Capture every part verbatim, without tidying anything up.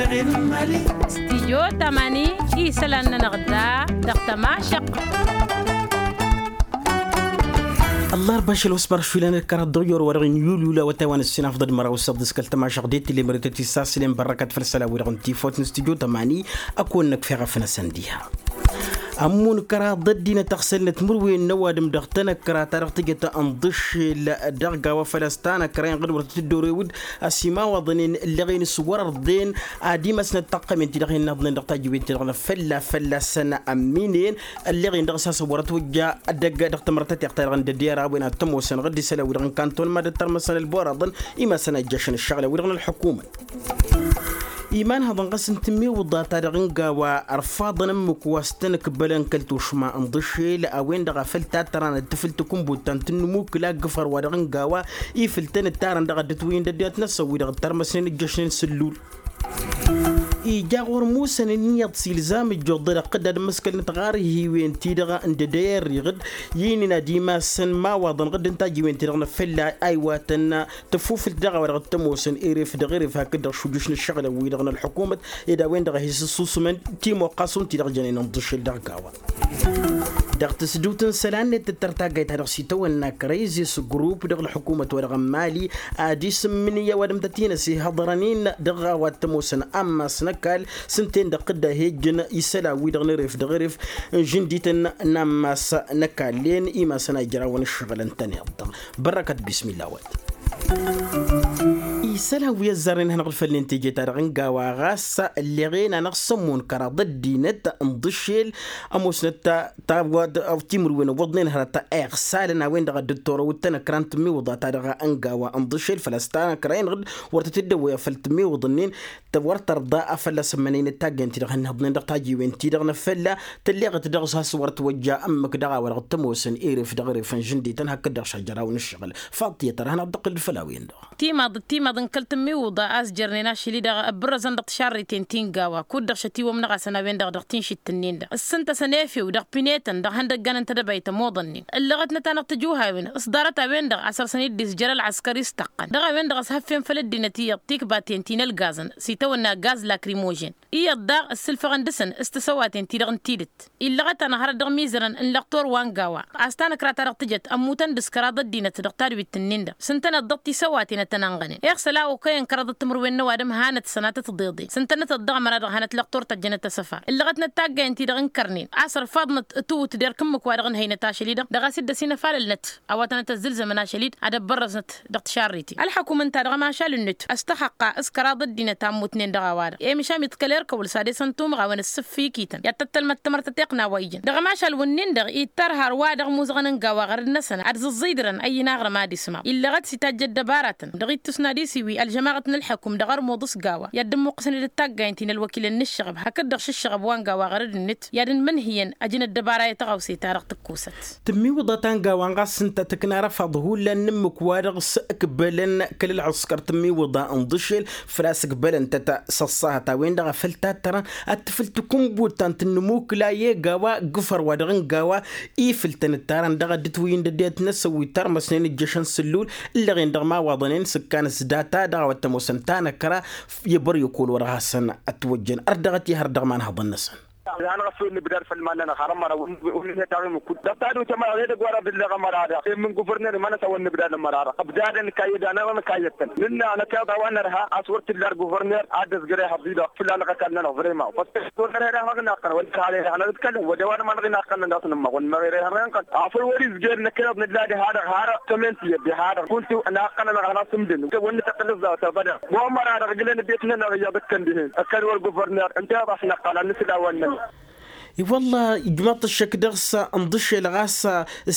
Stijyo tamani isălan-nănăɣ da dăɣ-tămašăq. Ăllarba ašăl wa s-mărăšulan ălkăraḍ dăɣ-yur wa dăɣ-inyulyul awătay wa n-ăssinafḍăd măraw s-săḍis kăl-tămašăq d-e-tile mărătăt isassǝlen bărrăkăt făll-isălan wi-dăɣ n-tifot n-stijyo tamani. Ăkon-năk feɣ a fănăsăn diha ămmun kăraḍ ăddinăt ăɣsălnăt mǝrwen n-ăwadǝm dăɣ-tanăkra ta dăɣ-tǝjăt ănḍǝššel dăɣ-gawa făl a-s tanăkra-in ɣǝd wăr tăt-dd-orewǝd. Ăsimawaḍăn-in ǝllăɣen s-wărărḍen ad-imasnăt taqqămen-ti-dăɣ hin-naḍnen dăɣ-tajǝwen-ti-dăɣ n-afălla fălla-săn ămminen. Ălleɣen dăɣ-s a-s wărăt wăjja ăddăgg dăɣ-tamărtăteɣt-ta-dăɣ n-dăddi ara a-wen ad-t-ămoosăn ɣǝd isălan wi-dăɣ n-kanton mad-ăttărmăsăn ălboraḍăn imasăn a ijjăšăn ǝššăɣǝl a-wi-dăɣ n-ălḥukumăn. Imanhăḍăn ɣas n-tǝmmiwǝḍa-ta-dăɣ n-gawa ărfaḍăn ǝmmǝk wa s-tăn-ǝkbălăn kăl-tušma n-iḍǝššel a-wen-dăɣ a făl tattăranăt tǝfǝl takǝnbut ta n-tǝnnǝmukǝla ǝggǝfăr wa dăɣ-n gawa ifǝl tăn-ǝttarăn dăɣ-ăddǝt wi n-dăddinăt-năsăn wi-dăɣ ǝttărmăsnen ǝjjăšnen s-ǝllul. Ija ɣur-musăn ǝnniyăḍ s-ilzam ǝjjuḍ-dăɣ dd-ad-măskălnăt ɣar ihiwen-ti-dăɣ n-dădăyăr iɣǝd i-ǝnnin ad-imasăn imawaḍăn ɣǝd n-tajiwen-ti-dăɣ n-afălla a iwatăn tăfufǝlt dăɣ-a-wa dăɣ-t-ămoosăn eref dăɣ-eref hakd-dăɣ šujǝš n-ǝššăɣǝlăn-wi-dăɣ n-ălḥukumăt ed a-wen-dăɣ a hi-sǝssusǝmăn timoqqas unti-dăɣ jănen ǝnḍǝššel dăɣ-gawa. Dăɣ-tǝsdǝwt n-isălan-net tǝttăr taggayt-ta-dăɣ s-itawănna kărăyze s-grup dăɣ-ălḥukumăt-wa-dăɣ n-mali ad-isǝmmǝnǝy ăwadǝm tăt-inăs ihăḍărăn-in dăɣ-a-wa t-ămoosăn ammas n-ăkall s-ǝnta-en-dăɣ tǝdda hi-ǝjjǝn isălan-wi-dăɣ n-eref dăɣ-eref n-žǝndităn n-ammas n-ăkall-en imasăn a ijrawăn ǝššăɣǝl ǝntăneḍ. Bărrăkăt bismilla a-wăt. Isălan wi ăzzarnen hanăɣ-dd făll-nen teje-ta-dăɣ n-gawa ɣas ălleɣen-anăɣ s-ămmun kăraḍ ăddinăt n-iḍǝššel ămoosnăt ta wa timǝrwen ăwwăḍnen hărăt iɣsalăn a-wen-dăɣ a dd-torăwăd tanăkra n-tǝmmiwǝḍa-ta-dăɣ n-gawa n-iḍǝššel făl-a-s tanăkra-in-dăɣ wăr tăt-dd-ăwwăy afăl tǝmmiwǝḍ-nin. Wăr tărḍa a fălla-s ămmănăynăt taggayăn-ti-dăɣ ănnihăḍnen dăɣ-tajiwen-ti-dăɣ n-afălla tălleɣăt dăɣ-s a-s wăr ătwăjja ǝmmǝk dăɣ-a-wa dăɣ-t-ămoosăn eref dăɣ-eref n-žǝndităn hakd-dăɣ šajăraw n-ǝššăɣǝl. Faḍt-i ad-tărha hanăɣ-dd-tăqqǝl-dd făll-a-wen-dăɣ. Timaḍ d-timaḍ n-kăl-tǝmmiwǝḍa a-s jărnen ašăl-i-dăɣ ǝbbărrăzăn dăɣ-tišarriten ti n-gawa kud-dăɣ šătiwămnăɣ-asăn a-wen-dăɣ dăɣ-tinšit-nin-dăɣ ǝssǝntăsăn efew dăɣ-pinetăn dăɣ-ihăndăggan n-tedăbayt ămoḍănnen. Ǝllăɣătnăt-anăɣ tǝjuhawen s-ḍarăt a-wen-dăɣ a săr-săn dd-izjăr ălɣăskăr istăqqăn dăɣ-a-wen-dăɣ ăshăffen făll-ăddinăt iyyăḍ tikbaten ti n-ălgazăn s-itawănna gaz lakrimožen. Iyyăḍ daɣ ǝssǝlfăɣăn dăɣ-săn s-tisăwaten-ti-dăɣ n-tidǝt. Illăɣăt-anăɣ hărăt dăɣ-imizărăn n-lăqtor wa n-gawa a-s tanăkra-ta-dăɣ tǝjăt ămmutăn d-askăraḍ ăddinăt dăɣ-tadwit-nin-dăɣ s-ǝntănăt dăɣ-tisăwaten ad-tăn-ănɣănen. Iɣsăl a okăyăn kăraḍăt timǝrwen n-ăwadǝm hanăt-săn ad-tăt-ḍeḍen s-ǝntănăt-ăḍ dăɣ-măra-dăɣ hanăt lăqtor tăjjănăt asăfar ǝllăɣătnăt taggayen-ti-dăɣ n-kărnen a-s ărfaḍnăt tǝwǝt derk ǝmmǝk wa dăɣ-nǝhăynăt ašăl-i-dăɣ dăɣ-a-s dd-ăsinăfalălnăt. A-wa tănăt-ăzzǝlzămăn ašăl-i-dd ad-ăbbărrăznăt dăɣ-tišarriten ălxăkum ǝnta dăɣ-ămašal-net ăstăxăqqa s-kăraḍ ăddinăt a ămmutnen dăɣ-a-wa-dăɣ i-măšan iḍkăl erkăwăl s-ad-esăn tumɣawen ăssǝffikităn i-ad-tăt-tălmăd tamărtăt iqnawa iyyăn dăɣ-ămašal-wǝnnin-dăɣ ittar har wa dăɣ-imuzăɣăn n-gawa ɣărăd-năsăn ad-zǝẓẓidărăn ăyyǝnaɣrǝm ad-ismăɣ illăɣăt s-itajj ăddăbaratăn dăɣ-ittusna d-isiwi ălžămaɣăt n-ălxăkum dăɣ-armuḍ s-gawa i-ad-dd-ămmuqqǝsăn d-taggayǝn ti n-ălwăkilăn n-ǝššăɣăb hakd-dăɣ šǝššăɣăb wa n-gawa ɣărăd-net i-ad-ǝnmǝnhǝyăn ăj n-ăddăbara i-tăɣawse-ta-dăɣ tǝkkusăt. Tǝmmiwǝḍa ta n-gawa ɣas ǝnta tǝkna arăfaḍ hullan n-ǝmmǝk-wa-dăɣ s-ǝkbălăn kăl-ălɣǝskăr tǝmmiwǝḍa n-iḍǝššel făl-a-s ǝkbălăn-tăt s-ăṣṣahăt a-wen-dăɣ a făl tattărăn ad-tǝfǝl takǝnbut ta n-tǝnnǝmukǝla i-gawa ǝggǝfăr-wa-dăɣ n-gawa ifǝl tăn-ǝttarăn dăɣ-ăddǝt wi n-dăddinăt-năsăn wi ǝttarmăsnen ǝjjăšăn s-ǝllul. Ǝllăɣen dăɣ-imawaḍăn-en s-ǝkkan s-data dăɣ-a-wa t-ămoosăn tanăkra i-băryăkol wa dăɣ-hasăn-ătwăjjăn ărdăɣăt i-hărăt dăɣ-imanhăḍăn-năsăn. Hanăɣ-ăfew ănnǝbdad făll-iman-nănăɣ har ămăra wăr nǝhet a-wen mǝkkud dăɣ-tadǝwt ămăra edăgg wa dăɣ-dd-illeɣ ămăra-dăɣ. Immǝn guvărner iman-ăsawăn nǝbdad ămăra-dăɣ ăbdadăn ikayyăd anăɣ-nǝkayyăd-tăn nǝnna năkkeḍ a-wa nărha a-s wăr t-illa ar-guvărner ad-dd-ăzgăr ehăḍ-i-dăɣ făll-anăɣ ăkall-nănăɣ vrema. Făl-s wăr nărha dăɣ-hanăɣ-inaqqăn wăr nărha dăɣ-hanăɣ-dd-kălăn wădden wa n-ămanăɣ-inaqqăn-nănăɣ s-nǝmmăɣ wăr nǝmmăɣ ere hanăɣ-inqăn afăl wăr-izger năkkeḍ nǝlla diha-dăɣ har tămen tiyyăt diha-dăɣ kuntu inaqqăn-nănăɣ ad-hasǝmdǝn wăr nǝtăqqǝl ǝẓẓawăt ăbăda. Wa ămăra-dăɣ ǝglăn ăbet-nănăɣ iyyăḍ ǝkkăn dihen ăkall wăr-guvărner ǝnta i-ad-asnăqqal ad-nǝsǝl a-wa ănnănăɣ. I-wălla ijmaḍ-t ăššăk dăɣ-s ǝnḍǝššel ɣas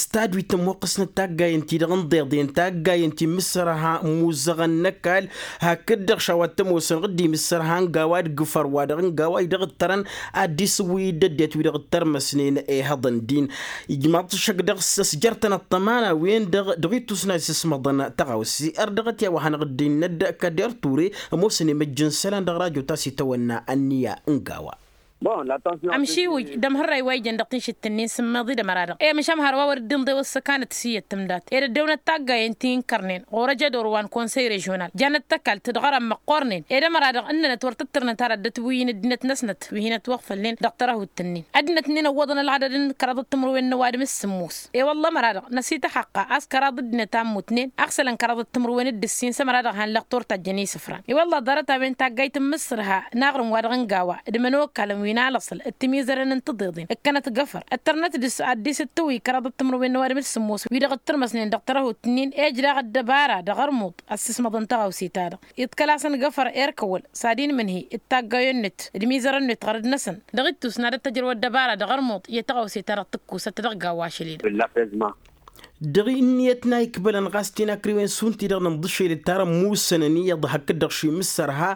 s-tadwit tămmoqqăsnăt taggayen-ti-dăɣ n-iḍeḍen taggayen ti n-imǝssărha n-imuzăɣăn n-ăkall. Hakd-dăɣ šawa t-ămoosăn ɣǝddim ǝssărha n-gawa d-gǝfăr wa dăɣ-n gawa i-dăɣ ǝttărăn ad-dd-isǝwwǝy d-ăddinăt wi-dăɣ ǝttărmăsnen. Ihăḍăn din ijmaḍ-t ăššăk dăɣ-s ăsjărtăn ăṭṭăman a-wen-dăɣ dăɣ-ittusna isǝsmăḍăn tăɣawse ărdăɣăt i-a-wa hanăɣ-dd-innă d-kăder ture. Ămoosăn imăjj n-isălan dăɣ-rajo ta s-itawănna ănniya n-gawa. Amšiwǝj d-amhărray wa ijăn dăɣ-tinšǝtt-nin s-ǝmmiḍi d-ămăra-dăɣ i-măšan hărwa wăr dd-inḍew ăssăkanăt s-iyyăt tǝmdat ed ăddăwnăt taggayen ti n-kărnen ɣur-ăjădor wa n-konsăy režional jannăt tăkalt dăɣ-ărăn măqqornen ed ămăra-dăɣ ǝnnănăt wăr tǝttărnăt ar ăddăt wi n-ăddinăt-năsnăt wi hin-ătwăɣfălnen dăɣ-tărăhut-ǝnnin. Ăddinăt-nin ăwwăḍăn ălɣădăd n-kăraḍăt timǝrwen n-ăwadǝm s-sǝmmos i-wălla ămăra-dăɣ năsităxăqqa a-s kăraḍ ăddinăt a ǝmmutnen ăɣsălăn kăraḍăt timǝrwen d-ǝssin s-ămăra-dăɣ han lăqtor tajjăn isǝfran i-wălla ḍarăt-a-wen taggayt n-imǝssărha n-aɣrǝm-wa-dăɣ n-gawa d-imănokalăn wi n-alăṣăl d-timizăren n-tiḍeḍen ǝkkănăt găfăr ǝttărnăt dăɣ-s addis d-tǝwǝy kăraḍăt timǝrwen n-ăwadǝm s-sǝmmos wi-dăɣ ǝttǝrmăsnen dăɣ-tărăhut-ǝnnin i-ǝjraɣ ăddăbara dăɣ-ărmuḍ ăssismăḍăn tăɣawse-ta-dăɣ iḍkăl-asăn găfăr erk ăwwăl s-ad-inmǝnhǝy d-taggayo-net d-imizărăn-net ɣărăd-năsăn dăɣ-ittus n-ad-ăttăjrăw ăddăbara dăɣ-ărmuḍ i-tăɣawse-ta-dăɣ tǝkkusăt dăɣ-gawa ašăl-i-dăɣ. Dăɣ-ǝnniyăt n-a ikbălăn ɣas tinakriwen šund-ti-dăɣ nǝnḍǝšel d-tarămmusăn n-iyyăḍ hakd-dăɣ šimǝssărha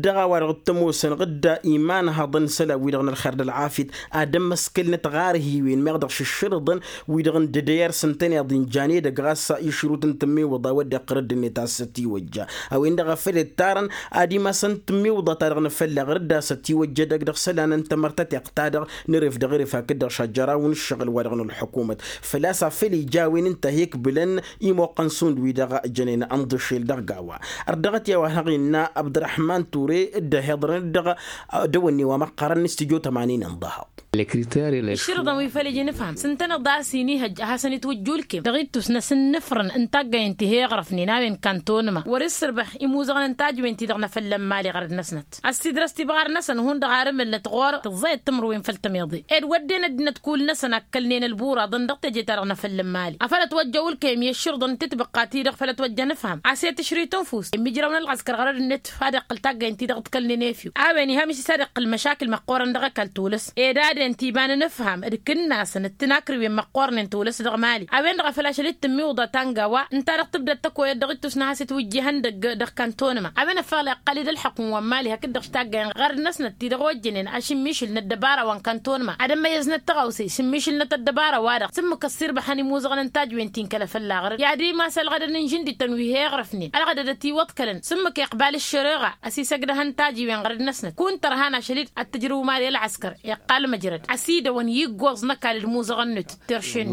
dăɣ-a-wa-dăɣ t-ămoosăn ɣǝdda imanhăḍăn isălan-wi-dăɣ n-ălxer d-ălɣafyăt ad-ămmăskălnăt ɣarhiwen meɣ dăɣ-šǝššǝrǝḍăn wi-dăɣ n-dădăy ar s-ǝntăneḍ injan edăgg ɣas išrut n-tǝmmiwǝḍa wădden iqqăr ăddinăt a-s ătiwăjja a-wen-dăɣ a făl ittarăn ad-imasăn tǝmmiwǝḍa-ta-dăɣ n-afălla ɣur-dd a-s ătiwăjja edăgg dăɣ-isălan n-tamărtăteɣt-ta-dăɣ n-eref dăɣ-eref hakd-dăɣ šajjăraw n-ǝššăɣǝl-wa-dăɣ n-ălḥukumăt făl-a-s a făl ija a-wen ǝnta a he-ǝkbǝlăn imoqqăn šund-wi-dăɣ jănen ănḍǝšel dăɣ-gawa. Ărdăɣăt i-a-wa hanăɣ-innă abdărăhman ture dd-ăhiḍărăn-dd dăɣ-dăwănne wa măqqărăn n-studyo tămanin n-ḍahăḍ. Ǝššǝrǝḍăn wi făl ija inǝfham s-ǝntăneḍ a-s inihăjj ad-hasăn-itwǝjj ulkem dăɣ-ittus n-asǝnnǝfrăn n-taggayen ti he-iɣrăfnen a-wen kantonǝma wăr-dd sărbăh imuzăɣăn n-tajǝwen-ti-dăɣ n-afălla n-mali ɣărăd-năsnăt ăssiidrăs tibɣar-năsăn hundăɣ ar ǝmǝlnăt ɣur-tǝẓẓăyăt timǝrwen făll-tămiḍe ed wădden ăddinăt kull-năsăn a ǝkkălnen ălburaḍăn dăɣ-teje-ta-dăɣ n-afălla n-mali afăl ătwăjja ulkem i-ǝššǝrǝḍăn n-titbăqqa-ti-dăɣ făl ătwăjja n-ǝfham a-s i-tǝšrit ănfus i-imǝjraw n-ălɣăskăr ɣărăd-net ad-iqqǝl taggaynt-ti-dăɣ ǝḍkălnen efew a-wen iham išis ad-iqqǝl măšakǝl măqqoorăn dăɣ-ăkall tolăs ed ad-en t-iba n-inǝfham d-ikǝnnasăn d-tinakriwen măqqoornen tolăs dăɣ-mali a-wen-dăɣ a făl ašăl-dd tǝmmiwǝḍa ta n-gawa ǝnta-dăɣ tǝbdăd tăkoyăt dăɣ-ittus n-ad-hasǝtwǝjj ihăndăgg dăɣ-kantonǝma a-wen ăffăɣ la iqqal-dd ălḥăkk n-wa n-mali hakd-dăɣ s-taggayen ɣărăd-năsnăt ti-dăɣ ojjănen ašǝmmišǝl n-ăddăbara wa n-kantonǝma ad-ămmăyyăznăt tăɣawse šǝmmišǝlnăt ăddăbara-wa-dăɣ s-ǝmmǝk ăssirbăhăn imuzăɣăn n-tajǝwen ti n-kăl-afălla ɣărăd i-ad-imas ălɣădăd n-žǝndităn wi he-iɣrăfnen ălɣădădăt iwăḍkălăn s-ǝmmǝk iqbal ǝššăreɣa ăsisăgdăhăn tajǝwen ɣărăd-năsnăt kunta ărhan ašăl-dd ad-t-ǝjrǝw mali ălɣăskăr iqqal măjrăd ăsidăwăn i-iggoẓ n-ăkall d-imuzăɣăn-net. Tiršen.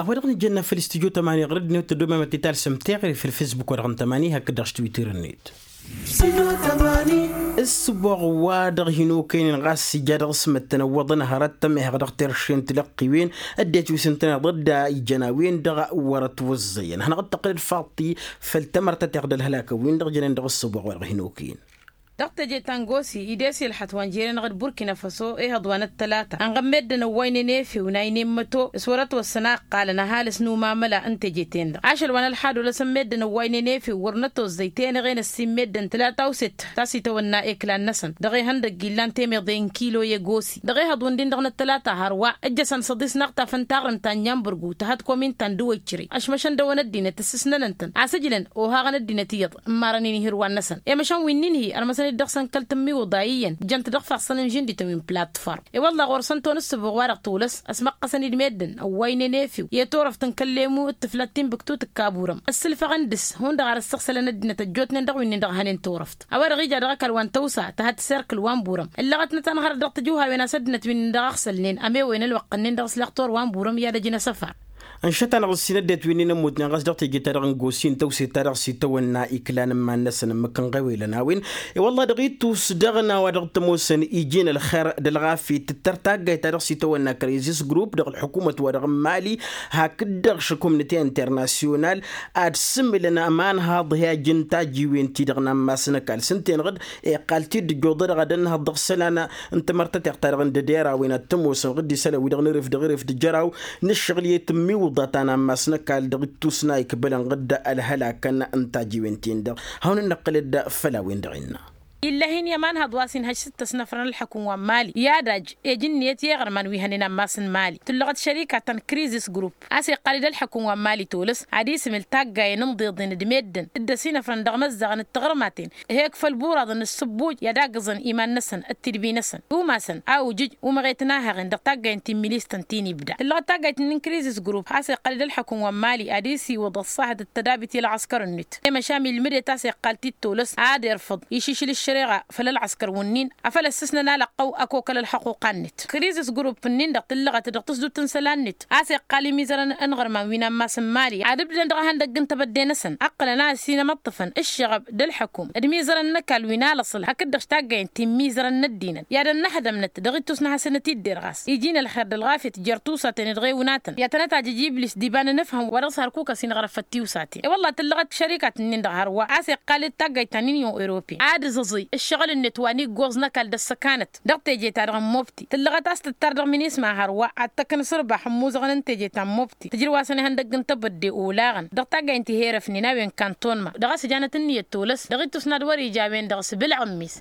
Ăwadăɣ n-ijănna făll-studyo tămani ɣărăd-net tădomem ad-t-talsăm teɣre făll-facebook-wa-dăɣ n-tămani hakd-dăɣ s-twitter-net. Ǝssǝboɣ wa dăɣ-hin-okăynen ɣas ija dăɣ-s măttăn ǝwwăḍăn hărăt tămehăɣ dăɣ-terše n-tilăqqiwen ăddinăt wi s-ǝntăneḍ dd-a ijăn a-wen-dăɣ wăr-ătwăzzăyăn hanăɣ-dd-tăqqǝlăd faḍt-i făll-tamărtăteɣt d-ălhălak a-wen-dăɣ jănen dăɣ-ǝssǝboɣ wa dăɣ-hin-okăyăn. Dăɣ-teje ta n-gosi idesǝlhăt wa n-žere-năɣ d-burkina faso ehăḍ wa n-ăttălata ănɣăn meddǝn ăwwaynen efew n-aynen măto s-wăr-ătwăssăn a ǝqqalăn ăhalǝs n-umamăla n-teje-ten-dăɣ ašăl wa n-ălxadol a-s ămmeddǝn ăwwaynen efew wăr nătozzăy tenăɣen ăssiin meddǝn tǝlata uset ta s-itawănna eklan-năsăn dăɣ-ehăndăgg illan temeḍe n-kilo i-gosi dăɣ-ehăḍ wǝndin-dăɣ n-ăttălata hărwa ǝjjăsăn săḍis n-aɣtaf n-taɣrǝmt ta n-inyambărgu tăhăt komin ta n-dăwăy cǝre ăšmăšăn dăwăn ăddinăt ǝssǝsnănăn-tăn a-s ǝjlăn ohaɣăn ăddinăt iyyăḍ ǝmmarăn-in ihǝrwan-năsăn i-măšan wi n-inhǝy ărmăsăn-dd dăɣ-săn kăl-tǝmmiwǝḍa iyyăn jăn-t dăɣ-fassăn n-žǝndităn wi n-platform i-wălla ɣur-săn ton ǝssǝbuɣ-wa-dăɣ tulăs ăsmăqqăsăn-dd meddǝn ăwwaynen efew i-turăft n-kăl-lemu d-tǝflat ti n-bǝktu tǝkkabur-ăm ǝssǝlfăɣăn dăr-s hundăɣ ar ǝssăɣsălăn ăddinăt ăjjootnen dăɣ-winnin-dăɣ hănen turăft a-wa-dăɣ ija dăɣ-ăkall wa n-tawsa tăhăt serkǝl wa n-burăm ǝllăɣătnăt anhărăt dăɣ-tijǝwhawen a-s ăddinăt wi n-dăɣ ăɣsălnen ămewăyăn ălwăqq-nin dăɣ-s lăxtor wa n-burăm i-ad-ăj n-asăfar. Ănšăt-anăɣ ǝssin ăddinăt wi n-inămmutnen ɣas dăɣ-teje-ta-dăɣ n-gosi n-tawse-ta-dăɣ s-itawănna iklan n-iman-năsăn ǝmmǝk n-iɣewelăn a-wen i-wălla dăɣ-ittus dăɣ-nawa dăɣ-tămoosăn iji n-ălxer d-ălɣafyăt tǝttăr taggayt-ta-dăɣ s-itawănna krizis grupp dăɣ-ălḥukumăt-wa-dăɣ n-mali hakd-dăɣ šăkumnăte internasyonal ad-sǝmǝlăn ămanhaḍ hi-ajǝn tajiwen-ti-dăɣ n-ammas n-ăkall s-ǝnta-enăɣ-dd iqqal-t-dd ǝjjuḍăd ad-ănnăhăḍ dăɣ-isălan n-tamărtăteɣt-ta-dăɣ n-dăderawen ad-tămoosăn ɣǝddi isălan-wi-dăɣ n-eref dăɣ-eref d-jăraw n-ǝššăɣǝl i-tǝmmiwǝḍa ta n-ammas n-ăkall dăɣ-ittus n-a ikbălăn ɣǝdda ălhălakăn n-tajiwen-ten-dăɣ. Hawăn-dd-năqqǝlăd făll-a-wen-dăɣ innă. Illăh-in i-ămanhăḍ wa s-inhăj s-ǝttăs n-afrăn ălḥăkun wa n-mali i-ad-ajj ej ǝnniyăt i-iɣărman wi hănen ammas n-mali tǝllăɣăt šărika ta n-krizis grupp a-s iqqal-dd ălḥăkun wa n-mali tolăs ad-isǝmǝl taggayen ǝnḍeḍen d-meddǝn dd-ăsinăfrăn dăɣ-imăzzaɣăn d-tiɣărmaten hek făll-iburaḍăn ǝssǝbbuj i-ad-agǝẓăn iman-năsăn d-tidbi-năsăn umasăn a ujǝj umăɣet n-ahăɣen dăɣ-taggayen ti n-milistăn ti n-ibda tǝllăɣăt taggayen ti-nin krizis grupp a-s iqqăl-dd ălḥăkun wa n-mali ad-isiwǝḍ ăṣṣahăt d-tădabit i-ălɣăskăr-net i-măšan ilmǝdet a-s iqqal-t-dd tolăs ad-irfǝḍ išǝšǝl. ăššăreɣa făll-ălɣăskăr wǝnnin afăl ăssǝsnăn alăqqăw ăkokăl ălxăquqa-net. Krizǝs grupp-nin-dăɣ tǝllăɣăt dăɣ-tǝsdut n-isălan-net a-s iqqal imizărăn n-iɣărman wi n-ammas n-mali ad-ǝbdǝdăn dăɣ-ehăndăgg n-tebădde-năsăn ǝqqǝlăn a ăsinămăṭṭăfăn ǝššăɣăb d-ălḥăkum d-imizărăn n-ăkall wi n-alăṣṣăl hakd-dăɣ taggayăn ti n-imizărăn n-ăddinăn i-ad-ănnăhădămnăt dăɣ-ittus n-ad-hasăn-t-dd-derɣas iji n-ălxer d-ălɣafyăt jer-tiwsaten-dd ɣewnatăn i-ad-tănătajăj iblis d-iba n-inǝfhăm wa dăɣ-s hărkuk ăsinɣărăf făll-tiwsaten. I-wălla tǝllăɣăt šărikat-nin-dăɣ hărwa a-s iqqal d-taggayt ta n-inyon europin ad-ǝẓǝẓǝy ǝššăɣǝl-net wa n-iggoẓ n-ăkall d-ăssăkanăt dăɣ-teje-ta-dăɣ n-mobti tǝllăɣăt a-s tǝttar dăɣ-minisma hărwa ad-tăknǝs ărbax n-imuzăɣăn n-teje ta n-mobti tǝjrǝw-asăn ihăndăgg n-tebădde olaɣăn dăɣ-taggay n-tiherăfnen a-wen kantonma dăɣ-a-s ǝjanăt ǝnniyăt tolăs dăɣ-ittus n-ad-wăr-ija a-wen-dăɣ s-bǝlɣǝmmis.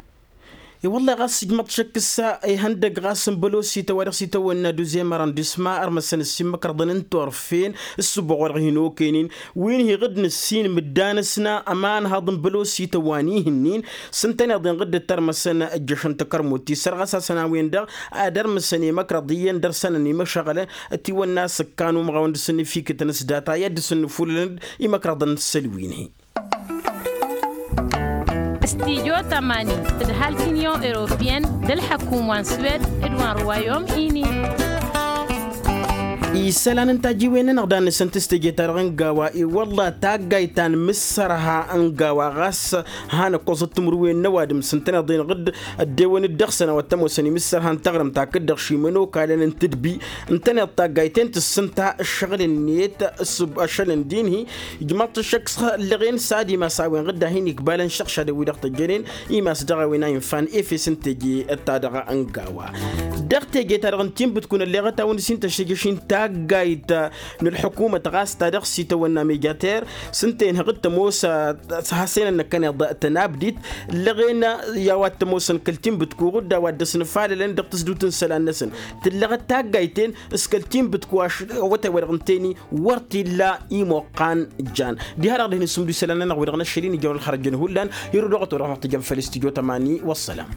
I-wălla ɣas ǝjmăḍ šăkk s-ihăndăgg ɣas n-bălosităw wa dăɣ-s itawănna duzem arăndisma ărmăsăn ǝssin imǝkrăḍăn n-turfen ǝssǝboɣ wa dăɣ-hin-okăynen wi n-hi-iɣǝd n-ǝssin mǝddan ăsna ămanhăḍ n-bălosităw wa n-ihǝnnin s-ǝntăneḍ-en ɣǝddǝt ărmăsăn ǝjjăšăn takărmut ti săr ɣas a-s ănn a-wen-dăɣ ad-ărmǝsăn i-imăkrăḍ iyyăn dăr-săn ănimăšăɣălăn. T-iwănna a-s ǝkkan umɣaw n-dăr-săn n-ifikǝtăn s-data i-ad-dăr-săn nǝfulălăn d-imăkrăḍăn n-săl wi n-hi. Stijo tamani d-halk inyon europiyăn d-ălḥăkum wa n-swed d-wa n-ruwayom ini. Isălan n-tajiwen-nănăɣ d-ad-nǝsǝnt s-teje-ta-dăɣ n-gawa i-wălla taggayt ta n-imǝssărha n-gawa ɣas hanăkkoẓăt timǝrwen n-ăwadǝm s-ǝntăneḍ-en ɣǝdd ăddewăn-dd dăɣ-săn a-wa t-ămoosăn imǝssărha n-taɣrǝmt hakd-dăɣ šimănokalăn n-tǝdbi ǝntăneḍ taggayt-en tǝssǝnta ǝššăɣǝl-net. Ăššăl n-dinhi ijmăḍ-t ăššăk s-ăllăɣen s-ad-imas a-wen ɣǝdda hin-ikbalăn šăɣšadăn wi dăɣ-tăjjănen imas dăɣ-a-wen a infa n-efes n-teje-ta-dăɣ n-gawa. Dăɣ-teje-ta-dăɣ n-tinbǝtkun ălleɣăt-awăn s-in-tăššăjăš-in taggayt n-ălḥukumăt ɣas ta dăɣ-s itawănna mejater s-ǝnta-en hăɣ-dd-tămoos. S-hasăynăn năkkăneḍ tănabdit ǝllăɣen i-a-wa t-ămoosăn kăl-tinbǝtku ɣudda wa dd-ăsnăfalălăn dăɣ-tǝsdut n-isălan-năsăn tǝllăɣăt taggayt-en s-kăl-tinbǝtku awătay wa dăɣ-ǝnta-eni wăr t-illa imoqqan. Jan diha-dăɣ dăh-in-issǝmdu isălan-nănăɣ wi-dăɣ năššăl-in ijăn ălxărăjăn hullan. Irrǝd oɣăt wa dăɣ-năɣ tǝjăm făll-studyo tămani wăssălam.